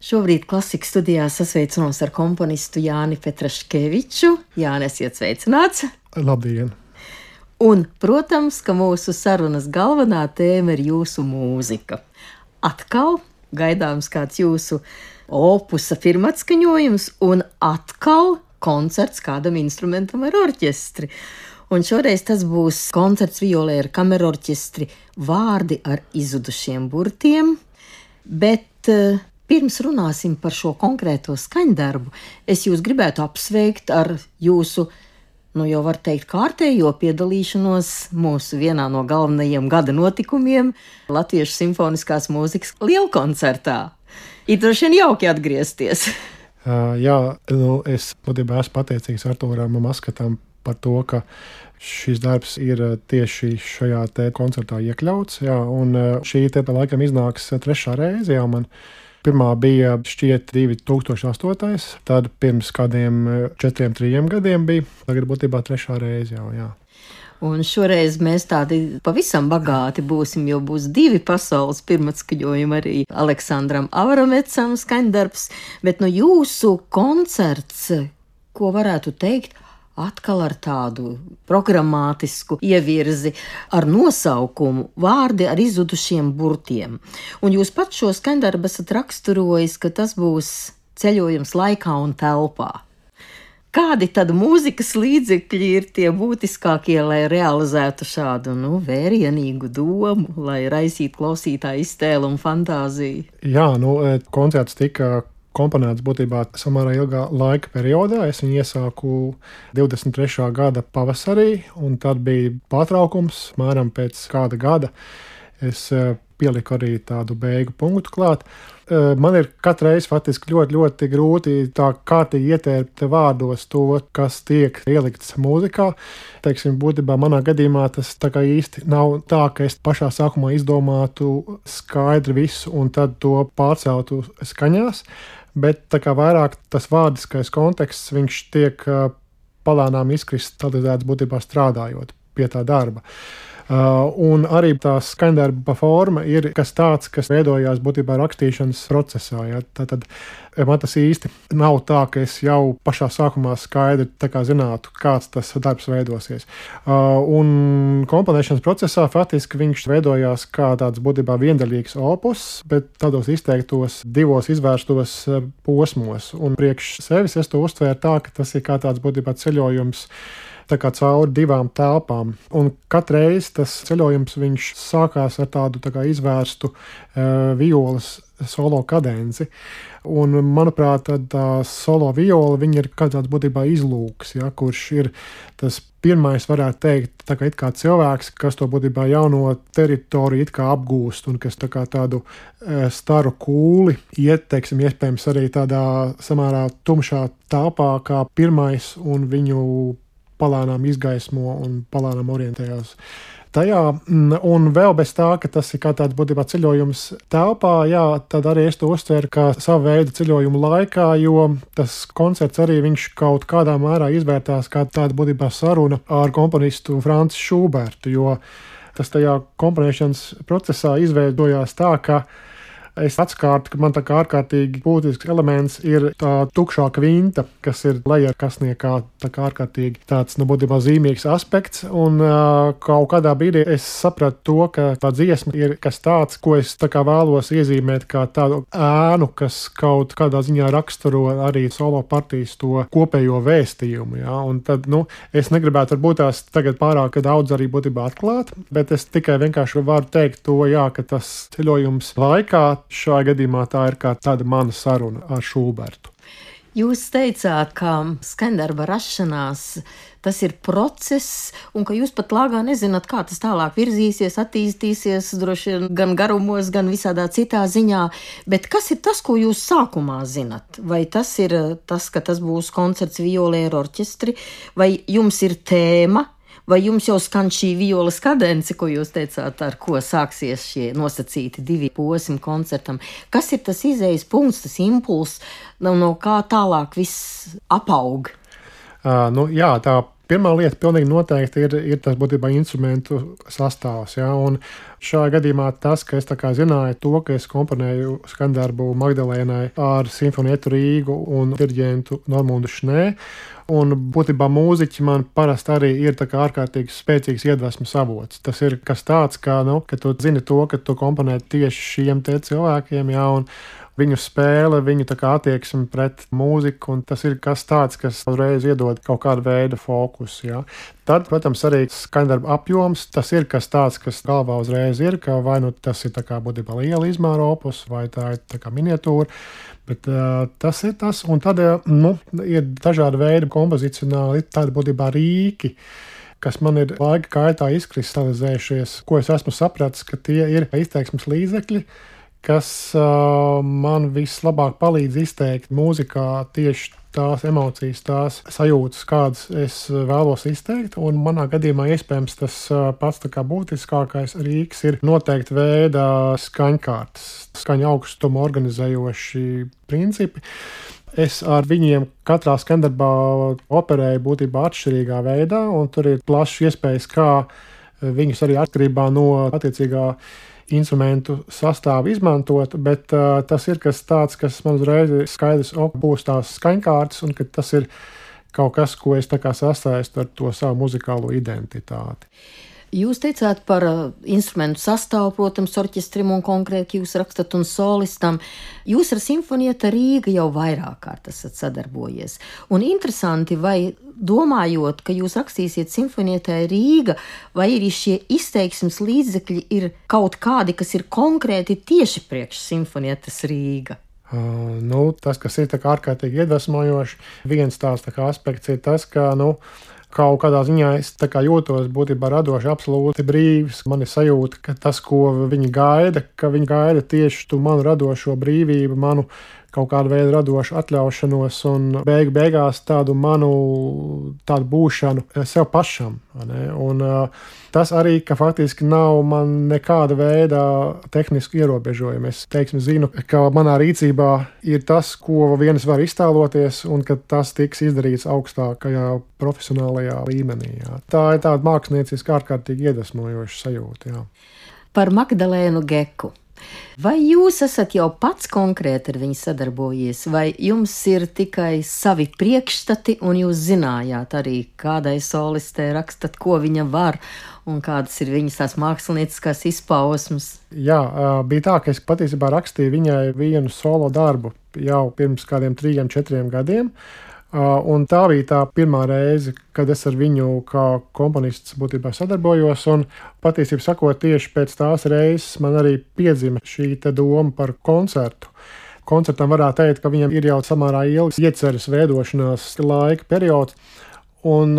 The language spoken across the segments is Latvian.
Šobrīd klasikas studijā sasveicinos ar komponistu Jāni Petraškeviču. Jāni, esiet sveicināts! Labdien! Un, protams, ka mūsu sarunas galvenā tēma ir jūsu mūzika. Atkal gaidāms kāds jūsu opusa pirmatskaņojums un atkal koncerts kādam instrumentam ar orķestri. Un šoreiz tas būs koncerts violē ar kamerorķestri Vārdi ar izzudušiem burtiem, bet pirms runāsim par šo konkrēto skaņdarbu, es jūs gribētu apsveikt ar jūsu, jau var teikt, kārtējo piedalīšanos mūsu vienā no galvenajiem gada notikumiem Latviešu simfoniskās mūzikas lielkoncertā. Ir droši vien jauki atgriezties. Es patiesībā esmu pateicīgs Artūram Maskatam par to, ka šis darbs ir tieši šajā te koncertā iekļauts. Un šī te laikam iznāks 3. reize jau man. Pirmā bija šķiet 2008. Tad pirms kādiem 4-3 gadiem bija. Tagad būtībā 3. reize jau, jā. Un šoreiz mēs tādi pavisam bagāti būsim, jo būs 2 pasaules pirmatskaņojumi arī Aleksandram Avramecam skaņdarbs, bet jūsu koncerts, ko varētu teikt, atkal ar tādu programmātisku ievirzi ar nosaukumu Vārdi ar izzudušiem burtiem. Un jūs pats šo skaņdarbu esat raksturojis, ka tas būs ceļojums laikā un telpā. Kādi tad mūzikas līdzekļi ir tie būtiskākie, lai realizētu šādu vērienīgu domu, lai raisītu klausītāju iztēli un fantāziju? Koncerts tika komponēts būtībā samērā ilgā laika periodā. Es viņu iesāku 23. gada pavasarī, un tad bija pārtraukums, mēram pēc kāda gada. Es pieliku arī tādu beigu punktu klāt. Man ir katreiz faktiski ļoti grūti tā kārtīgi ietērpt vārdos to, kas tiek ielikts mūzikā. Būtībā manā gadījumā tas tā kā īsti nav tā, ka es pašā sākumā izdomātu skaidri visu un tad to pārceltu skaņās, bet tā kā vairāk tas vārdiskais konteksts, viņš tiek palēnām izkristalizēts būtībā strādājot pie tā darba. Un arī tā skaņdarba forma ir kas tāds, kas veidojās būtībā rakstīšanas procesā. Tad man tas īsti nav tā, ka es jau pašā sākumā skaidri zinātu, kāds tas darbs veidosies. Un komponēšanas procesā faktiski viņš veidojās kā tāds būtībā viendaļīgs opus, bet tādos izteiktos 2 izvērstos posmos. Un priekš sevis es to uztvēru tā, ka tas ir kā tāds būtībā ceļojums cauri 2 telpām. Un katreiz tas ceļojums viņš sākās ar tādu izvērstu violas solo kadenci. Un, manuprāt, tā solo viola viņa ir kā tāds būtībā izlūks, kurš ir tas pirmais, varētu teikt, it kā cilvēks, kas to būtībā jauno teritoriju it kā apgūst un kas tādu staru kūli iet, iespējams arī tādā samērā tumšā telpā kā pirmais un viņu palānām izgaismo un palānām orientējās tajā. Un vēl bez tā, ka tas ir kā tāds būtībā ceļojums telpā, tad arī es to uztveru kā savu veidu ceļojumu laikā, jo tas koncerts arī viņš kaut kādā mērā izvērtās kā tāda būtībā saruna ar komponistu Franci Šubertu, jo tas tajā komponēšanas procesā izveidojās tā, ka es atskārtu, ka man tā kā ārkārtīgi būtisks elements ir tā tukšā kvinta, kas ir leja kasniekā tā kā ārkārtīgi tāds, būtībā zīmīgs aspekts, un kaut kādā brīdī es sapratu to, ka tā dziesma ir kas tāds, ko es tā kā vēlos iezīmēt kā tādu ēnu, kas kaut kādā ziņā raksturo arī solo partijas to kopējo vēstījumu, un tad, es negribētu varbūt tās tagad pārāk daudz arī būtībā atklāt, bet es tikai vienkārši varu teikt to, ka tas ceļojums laikā šajā gadījumā tā ir kā tāda mana saruna ar Šubertu. Jūs teicāt, ka skaņdarba rašanās tas ir process, un ka jūs pat lāgā nezināt, kā tas tālāk virzīsies, attīstīsies, droši vien gan garumos, gan visādā citā ziņā. Bet kas ir tas, ko jūs sākumā zinat? Vai tas ir tas, ka tas būs koncerts violē ar orķestri, vai jums ir tēma? Vai jums jau skan šī violas kadence, ko jūs teicāt, ar ko sāksies šie nosacīti 2 posmi koncertam? Kas ir tas izējas punkts, tas impulss, no kā tālāk viss apaug? Tā Pirmā lieta pilnīgi noteikti ir tas būtībā instrumentu sastāvs. Ja? Un šajā gadījumā tas, ka es tā kā zināju to, ka es komponēju skandarbu Magdalēnai ar Simfonietu Rīgu un diriģentu Normundu Šnē. Un būtībā mūziķi man parasti arī ir tā kā ārkārtīgi spēcīgs iedvesmas avots. Tas ir kas tāds, ka tu zini to, ka tu komponē tieši šiem te cilvēkiem, jā, un viņu spēle, viņu tā kā attieksme pret mūziku, un tas ir kas tāds, kas uzreiz iedod kaut kādu veidu fokusu, jā. Tad, protams, arī skaņdarba apjoms, tas ir kas tāds, kas galvā uzreiz ir, ka vai nu tas ir tā kā būtībā liela izmēra opus, vai tā ir tā kā miniatūra. Bet tas ir tas, un tad ir dažādi veidi kompozicionāli, tādi būtībā rīki, kas man ir laika gaitā izkristalizējušies, ko es esmu sapratis, ka tie ir izteiksmes līdzekļi, kas man vislabāk palīdz izteikt mūzikā tieši tās emocijas, tās sajūtas, kādas es vēlos izteikt. Un manā gadījumā iespējams tas pats tā kā būtiskākais rīks ir noteikti veida skaņkārtas, skaņa augstumu organizējoši principi. Es ar viņiem katrā skandarbā operēju būtībā atšķirīgā veidā, un tur ir plašs iespējas, kā viņus arī atkarībā no attiecīgā instrumentu sastāvu izmantot, bet tas ir kas tāds, kas man uzreiz ir skaidrs, būs tās skaņkārtas, un ka tas ir kaut kas, ko es tā kā sasaistu ar to savu muzikālo identitāti. Jūs teicāt par instrumentu sastāvu, protams, orķestrim un konkrēti jūs rakstat un solistam. Jūs ar Simfonieta Rīga jau vairāk kārt esat sadarbojies. Un interesanti, vai domājot, ka jūs rakstīsiet Simfonietai Rīga, vai arī šie izteiksmes līdzekļi ir kaut kādi, kas ir konkrēti tieši priekš Simfonietas Rīga? Tas, kas ir tā kā ārkārtīgi iedvesmojoši, viens tās tā kā aspekts ir tas, ka, kaut kādā ziņā es tā kā jūtos būtībā radoši absolūti brīvs. Man ir sajūta, ka tas, ko viņi gaida tieši tu manu radošo brīvību, manu kaut kādu veidu radošu atļaušanos un beigās tādu būšanu sev pašam. Un tas arī, ka faktiski nav man nekāda veida tehnisku ierobežojumu. Es zinu, ka manā rīcībā ir tas, ko viens var iztēloties, un ka tas tiks izdarīts augstākajā profesionālajā līmenī. Jā. Tā ir tāda mākslinieciski ārkārtīgi iedvesmojoša sajūta. Jā. Par Magdalēnu Geku. Vai jūs esat jau pats konkrēti ar viņu sadarbojies, vai jums ir tikai savi priekšstati, un jūs zinājāt arī, kādai solistē rakstat, ko viņa var, un kādas ir viņas tās mākslinieckās izpausmes? Jā, bija tā, ka es patiesībā rakstīju viņai vienu solo darbu jau pirms kādiem 3-4 gadiem. Un tā bija tā pirmā reize, kad es ar viņu kā komponists būtībā sadarbojos, un patiesībā sakot, tieši pēc tās reizes man arī piedzima šī doma par koncertu. Koncertam varētu teikt, ka viņam ir jau samērā ilgs ieceres veidošanās laika periods, un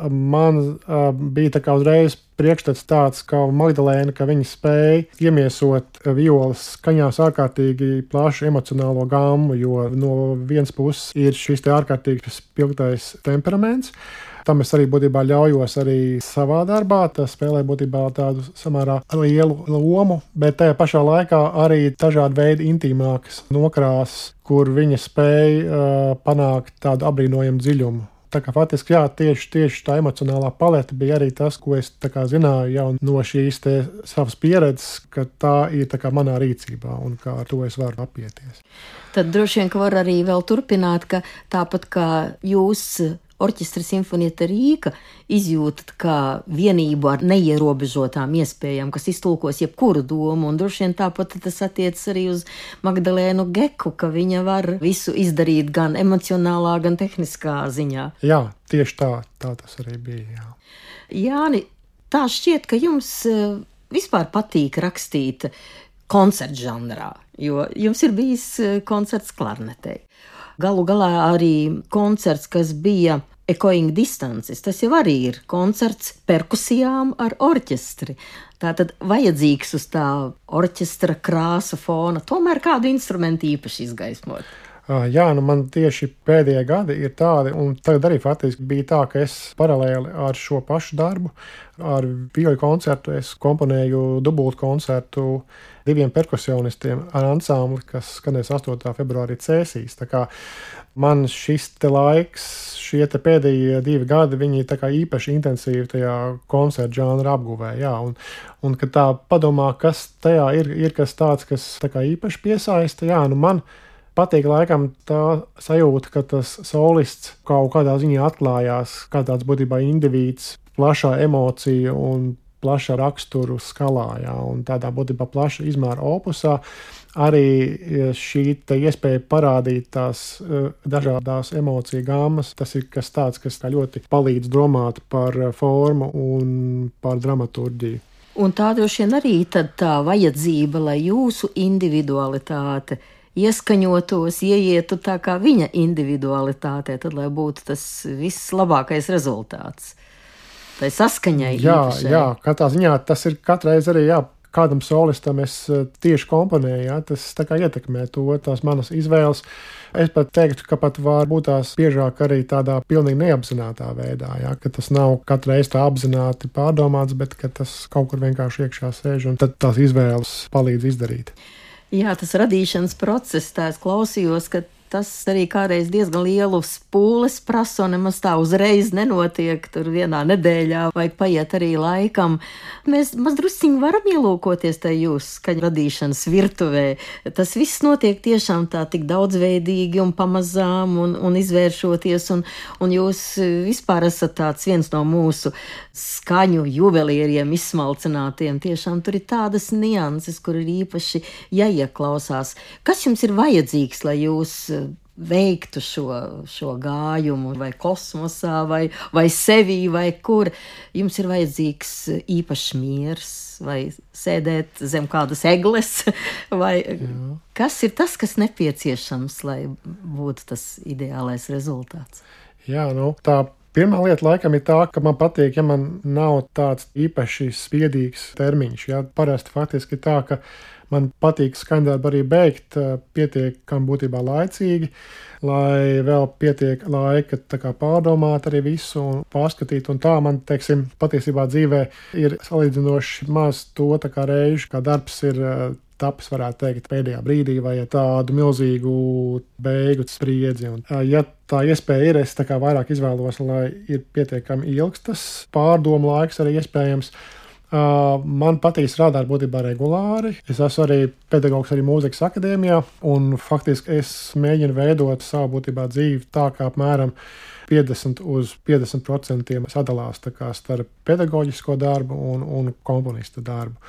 man bija tā kā uzreiz priekšstats tāds, ka Magdalēna, ka viņa spēja iemiesot violas skaņās ārkārtīgi plašu emocionālo gammu, jo no vienas puses ir šis te ārkārtīgi spilgtais temperaments. Tam es arī būtībā ļaujos arī savā darbā. Tas spēlē būtībā tādu samērā lielu lomu, bet tajā pašā laikā arī dažādi veidi intīmākas nokrāsas, kur viņa spēja panākt tādu apbrīnojamu dziļumu. Tā kā faktiski, jā, tieši tā emocionālā palete bija arī tas, ko es tā kā zināju jau no šīs te savas pieredzes, ka tā ir tā kā manā rīcībā un kā ar to es varu apieties. Tad droši vien, ka var arī vēl turpināt, ka tāpat kā jūs orķestra Simfonieta Rīga izjūtat kā vienību ar neierobežotām iespējām, kas iztulkos jebkuru domu, un droši vien tāpat tas attiec arī uz Magdalēnu Geku, ka viņa var visu izdarīt gan emocionālā, gan tehniskā ziņā. Jā, tieši tā tas arī bija, jā. Jāni, tā šķiet, ka jums vispār patīk rakstīt koncertu žanrā, jo jums ir bijis koncerts klarnetei. Galu galā arī koncerts, kas bija Echoing Distances, tas jau arī ir koncerts perkusijām ar orķestri. Tātad vajadzīgs uz tā orķestra krāsa fona tomēr kādu instrumentu īpaši izgaismot. Jā, man tieši pēdējie gadi ir tādi, un tagad arī faktiski bija tā, ka es paralēli ar šo pašu darbu, ar vioļu koncertu, es komponēju dubultu koncertu 2 perkusionistiem ar ansambli, kas skanēs 8. februārī Cēsīs. Tā kā man šis te laiks, šie te pēdējie 2 gadi, viņi tā kā īpaši intensīvi tajā koncertu žanra apguvē, jā, un kad tā padomā, kas tajā ir kas tāds, kas tā kā īpaši piesaista, jā, man patīk laikam tā sajūta, ka tas solists kaut kādā ziņā atklājās kā tāds būtībā indivīds, plašā emocija un plaša raksturu skalā, jā, un tādā būtībā plaša izmēra opusā. Arī šī iespēja parādīt tās dažādās emociju gāmas, tas ir kas tāds, kas ļoti palīdz domāt par formu un par dramaturģiju. Un tā droši vien arī tad tā vajadzība, lai jūsu individualitāte ieskaņotos, ieietu tā kā viņa individualitātē, tad lai būtu tas vislabākais rezultāts. Tai saskaņai īpašai. Jā, katrā ziņā tas ir katreiz arī, jā, kādam solistam es tieši komponēju, jā, tas tā kā ietekmē to, tās manas izvēles. Es pat teiktu, ka pat var būt tās biežāk arī tādā pilnīgi neapzinātā veidā, jā, ka tas nav katreiz tā apzināti pārdomāts, bet ka tas kaut kur vienkārši iekšā sēž un tad tās izvēles palīdz izdarīt. Jā, tas radīšanas process, tā es klausījos, ka tas arī kādreiz diezgan lielu spūles prasa un nemaz tā uzreiz nenotiek, tur vienā nedēļā vajag paiet arī laikam. Mēs mazdrusciņi varam ielūkoties tajā jūsu skaņu radīšanas virtuvē. Tas viss notiek tiešām tā tik daudzveidīgi un pamazām un izvēršoties, un jūs vispār esat tāds viens no mūsu skaņu juvelieriem izsmalcinātiem. Tiešām tur ir tādas nianses, kur ir īpaši jāieklausās. Kas jums ir vajadzīgs, lai jūs veiktu šo gājumu vai kosmosā, vai sevī, vai kur? Jums ir vajadzīgs īpašs miers, vai sēdēt zem kādas egles, vai kas ir tas, kas nepieciešams, lai būtu tas ideālais rezultāts? Jā, tā pirmā lieta laikam ir tā, ka man patīk, ja man nav tāds īpaši spiedīgs termiņš. Jā, parasti faktiski tā, ka man patīk skaņdarbu arī beigt pietiekami būtībā laicīgi, lai vēl pietiek laika tā kā pārdomāt arī visu un pārskatīt. Un tā man, teiksim, patiesībā dzīvē ir salīdzinoši maz to tā kā reižu, kā darbs ir tapis, varētu teikt, pēdējā brīdī vai tādu milzīgu beigu spriedzi. Un, ja tā iespēja ir, es tā kā vairāk izvēlos, lai ir pietiekami ilgs tas pārdomu laiks arī iespējams. Man patīk strādāt būtībā regulāri. Es esmu arī pedagogs arī mūzikas akadēmijā, un faktiski es mēģinu veidot savu būtībā dzīvi tā, kā apmēram 50 uz 50% sadalās tā kā starp pedagoģisko darbu un komponista darbu.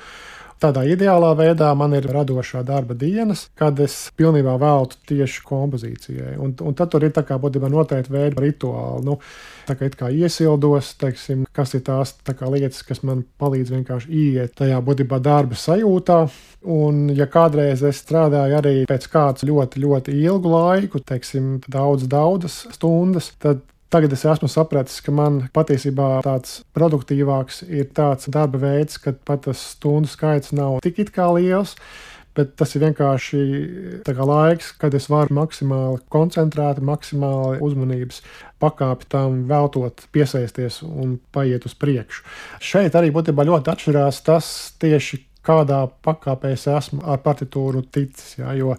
Tādā ideālā veidā man ir radošā darba dienas, kad es pilnībā veltu tieši kompozīcijai. Un tad tur ir tā kā būtībā noteikti veidi rituāli. Tā kā it kā iesildos, teiksim, kas ir tās tā kā lietas, kas man palīdz vienkārši ieiet tajā būtībā darba sajūtā. Un ja kādreiz es strādāju arī pēc kāds ļoti, ļoti ilgu laiku, teiksim, daudzas stundas, tad tagad es esmu sapratis, ka man patiesībā tāds produktīvāks ir tāds darba veids, kad pat tas stundu skaits nav tik it kā liels, bet tas ir vienkārši tā kā laiks, kad es varu maksimāli koncentrēti, maksimāli uzmanības pakāpi tam veltot, piesaisties un paiet uz priekšu. Šeit arī būtībā ļoti atšķirās tas tieši, kādā pakāpē es esmu ar partitūru ticis, jā, jo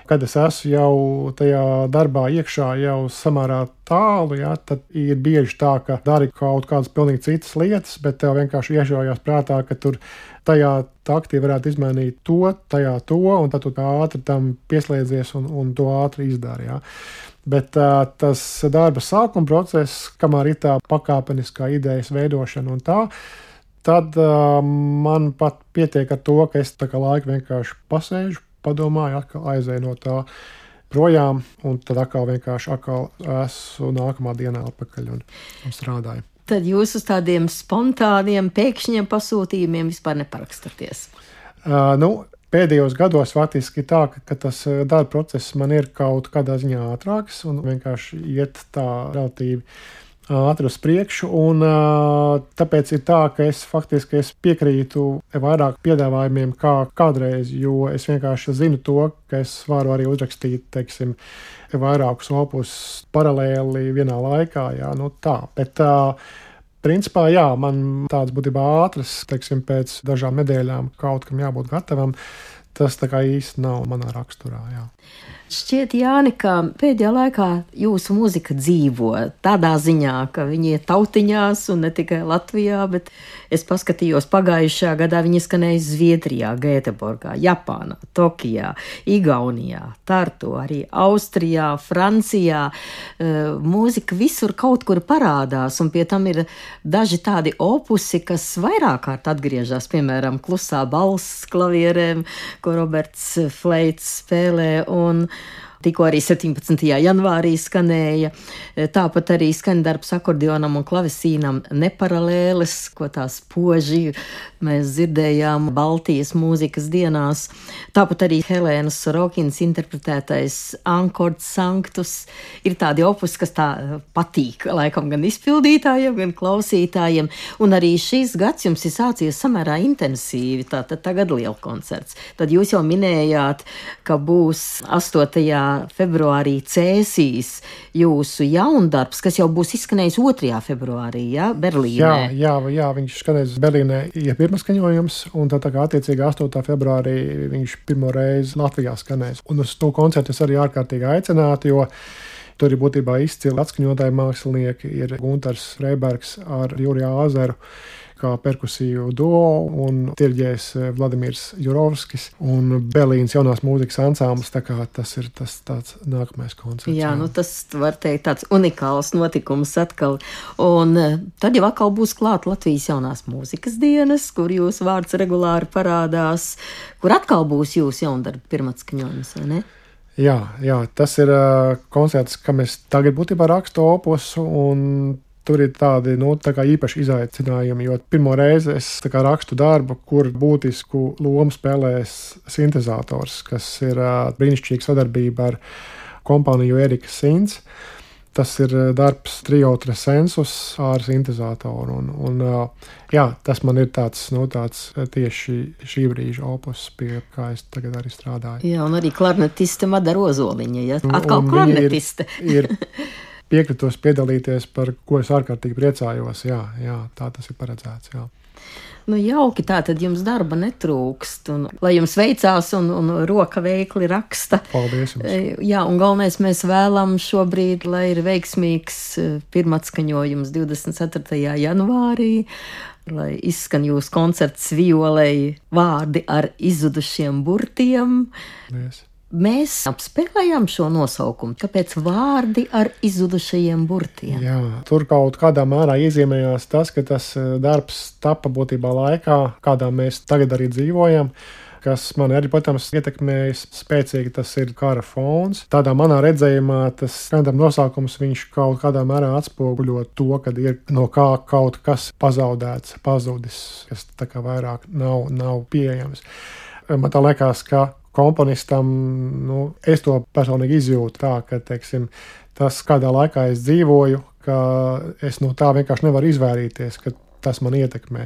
kad es esmu jau tajā darbā iekšā jau samērā tālu, jā, tad ir bieži tā, ka dari kaut kādas pilnīgi citas lietas, bet tev vienkārši iešaujās prātā, ka tur tajā taktī varētu izmainīt to, tajā to, un tad tu ātri tam pieslēdzies un to ātri izdari, jā. Bet tas darba sākuma process, kamēr ir tā pakāpeniskā idejas veidošana un tā, tad man pat pietiek ar to, ka es tā kā laiku vienkārši pasēžu, padomāju, atkal aizēju no tā projām, un tad atkal esmu nākamā dienā atpakaļ un strādāju. Tad jūs uz tādiem spontāniem, pēkšņiem pasūtījumiem vispār neparakstaties? Pēdējos gados faktiski tā, ka tas darba process man ir kaut kādā ziņā ātrāks un vienkārši iet tā relatīvi ātri uz priekšu, un tāpēc ir tā, ka es faktiski piekrītu vairāk piedāvājumiem kā kādreiz, jo es vienkārši zinu to, ka es varu arī uzrakstīt, teiksim, vairākus opus paralēli vienā laikā, jā, nu tā, bet principā, jā, man tāds būtībā ātras, teiksim, pēc dažām nedēļām kaut kam jābūt gatavam, tas tā kā īsti nav manā raksturā, jā. Šķiet, Jāni, ka pēdējā laikā jūsu mūzika dzīvo tādā ziņā, ka viņi ir tautiņās un ne tikai Latvijā, bet es paskatījos pagājušajā gadā viņi skanēja Zviedrijā, Gēteborgā, Japānā, Tokijā, Igaunijā, Tartu, arī Austrijā, Francijā. Mūzika visur kaut kur parādās, un pie tam ir daži tādi opusi, kas vairāk kārt atgriežas, piemēram, Klusā balss klavierēm, ko Roberts Fleits spēlē, un tikko arī 17. janvārī skanēja. Tāpat arī skaņdarbs akordionam un klavesīnam Neparalēles, ko tās poži mēs dzirdējām Baltijas mūzikas dienās. Tāpat arī Helēnas Sorokinas interpretētais Ankords Sanctus ir tādi opus, kas tā patīk laikam gan izpildītājiem, gan klausītājiem. Un arī šis gads jums ir sācies samērā intensīvi, tātad tagad lielkoncerts. Tad jūs jau minējāt, ka būs 8. februārī Cēsīs jūsu jaundarbs, kas jau būs izskanējis 2. februārī, ja, Berlīnē. Jā, viņš skanēs Berlīnē, ja pirmaskaņojums, un tā kā attiecīgi 8. februārī viņš pirmo reizi Latvijā skanēs. Un uz to koncertu es arī ārkārtīgi aicinātu, jo tur ir būtībā izcili atskaņotāji mākslinieki, ir Guntars Freibergs ar Juriju Āzeru kā perkusiju duo un tirģējs Vladimirs Jurovskis un Berlīnas jaunās mūzikas ansamblis, tā kā tas ir tas tāds nākamais koncerts. Jā, nu tas var teikt tāds unikāls notikums atkal. Un tad jau atkal būs klāt Latvijas jaunās mūzikas dienas, kur jūsu vārds regulāri parādās, kur atkal būs jūsu jaundarba pirmatskaņojums, vai ne? Jā, tas ir koncerts, kam es tagad būtībā rakstu opusu, un tur ir tādi, tā kā īpaši izaicinājumi, jo pirmo reizi es tā kā rakstu darbu, kur būtisku lomu spēlēs sintezators, kas ir brīnišķīga sadarbība ar kompāniju Erika Sins. Tas ir darbs trio Tresensus ar sintezatoru, un tas man ir tāds tieši šī brīža opus, pie kā es tagad arī strādāju. Jā, un arī klarnetiste Madara Ozoliņa, ja? Atkal klarnetiste. Ir piekritos piedalīties, par ko es ārkārtīgi priecājos. Jā, tā tas ir paredzēts. Jā. Nu, jauki, tā tad jums darba netrūkst, un lai jums veicās un roka veikli raksta. Paldies jums. Jā, un galvenais mēs vēlam šobrīd, lai ir veiksmīgs pirmatskaņojums 24. janvārī, lai izskan jūsu koncerts violei vārdi ar izzudušiem burtiem. Paldies. Mēs apspēlējām šo nosaukumu, kāpēc vārdi ar izzudušajiem burtiem. Jā, tur kaut kādā mērā iezīmējās tas, ka tas darbs tapa būtībā laikā, kādā mēs tagad arī dzīvojam, kas man arī, protams, ietekmējas spēcīgi, tas ir kara fons. Tādā manā redzējumā tas skaņdarba nosaukums viņš kaut kādā mērā atspoguļo to, kad ir no kā kaut kas pazaudēts, pazudis, kas tā kā vairāk nav pieejams. Man tā liekas, ka komponistam, es to personīgi izjūtu tā, ka, teiksim, tas, kādā laikā es dzīvoju, ka es no tā vienkārši nevaru izvairīties, ka tas man ietekmē.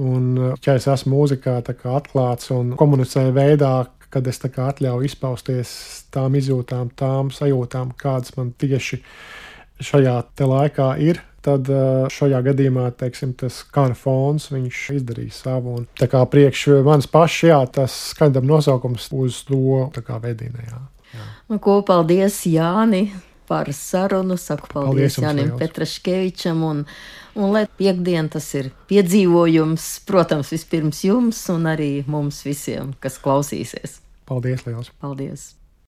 Un, ja es esmu mūzikā tā kā atklāts un komunicēju veidā, kad es tā kā atļauju izpausties tām izjūtām, tām sajūtām, kādas man tieši šajā te laikā ir, tad šajā gadījumā, teiksim, tas kara fons, viņš izdarīja savu. Un tā kā priekš manis paši, tas skaņdarba nosaukums uz to tā kā vedina, jā. Nu, ko paldies, Jāni, par sarunu. Saku paldies Jānim Petraškevičam, un lai piekdien tas ir piedzīvojums, protams, vispirms jums un arī mums visiem, kas klausīsies. Paldies liels. Paldies.